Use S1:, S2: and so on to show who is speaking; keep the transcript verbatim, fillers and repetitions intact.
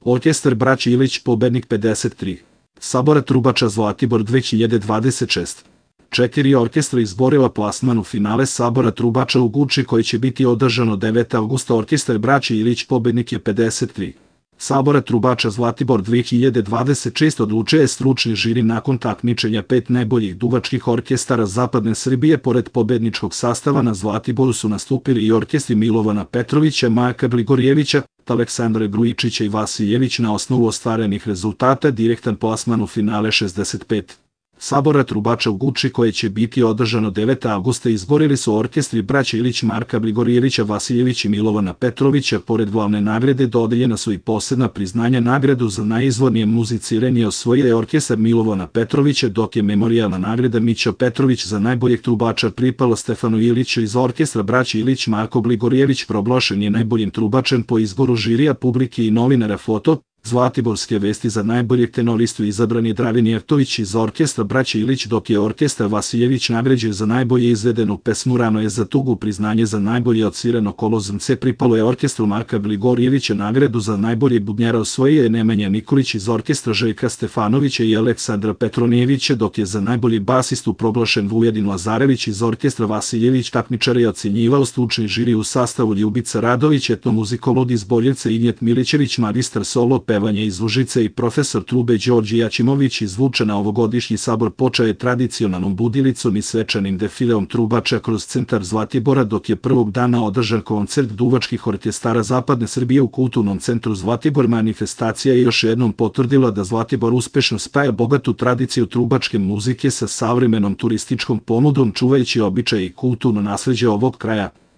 S1: Orkestar braće Ilić pobednik pedeset tri. Sabora trubača Zlatibor dve hiljade dvadeset šeste. Četiri orkestra izborila plasman u finale Sabora trubača u Guči koji će biti održano devetog avgusta. Orkestar braće Ilić pobednik je pedeset tri. Sabora trubača Zlatibor dve hiljade dvadeset šeste odlučuje stručni žiri nakon takmičenja pet najboljih duvačkih orkestara zapadne Srbije. Pored pobedničkog sastava na Zlatiboru su nastupili i orkestri Milovana Petrovića, Marka Gligorijevića, Aleksandra Grujičića i Vasiljević. Na osnovu ostvarenih rezultata direktan plasman u finale šezdeset pet. Sabora trubača u Guči koje će biti održano devetog avgusta izborili su orkestri braća Ilić, Marka Gligorijevića, Vasiljević i Milovana Petrovića. Pored glavne nagrade dodeljena su i posebna priznanja. Nagradu za najizvornije muziciranje osvojio je orkestar Milovana Petrovića, dok je memorijalna nagrada Mićo Petrović za najboljeg trubača pripala Stefanu Iliću iz orkestra braća Ilić. Marko Gligorijević proglašen je najboljim trubačem po izboru žirija, publike i novinara. Foto Zlatiborske vesti za najboljeg tenoristu izabran je Dragan Jeftović iz orkestra braća Ilić, dok je orkestar Vasiljević nagrađen za najbolje izvedenu pesmu Rano je za tugu. Priznanje za najbolje odsvirano kolo zrnce pripalo je orkestru Marka Gligorijevića. Nagradu za najbolje bubnjara osvojio je Nemanja Nikolić iz orkestra Željka Stefanovića i Aleksandra Petronijevića, dok je za najbolji basistu proglašen Vujedin Lazarević iz orkestra Vasiljević. Takmičare je ocenjivao stručni žiri u sastavu Ljubica Radović, etnomuzikolog iz Boljevca Injet Milićević, magistar solo pevanje iz Užice i profesor trube Đorđe Jaćimović. Izvučena ovogodišnji sabor počeo je tradicionalnom budilicom i svečanim defileom trubača kroz centar Zlatibora, dok je prvog dana održan koncert duvačkih orkestara zapadne Srbije u kulturnom centru Zlatibor. Manifestacija je još jednom potvrdila da Zlatibor uspešno spaja bogatu tradiciju trubačke muzike sa savremenom turističkom ponudom, čuvajući običaje i kulturno nasleđe ovog kraja.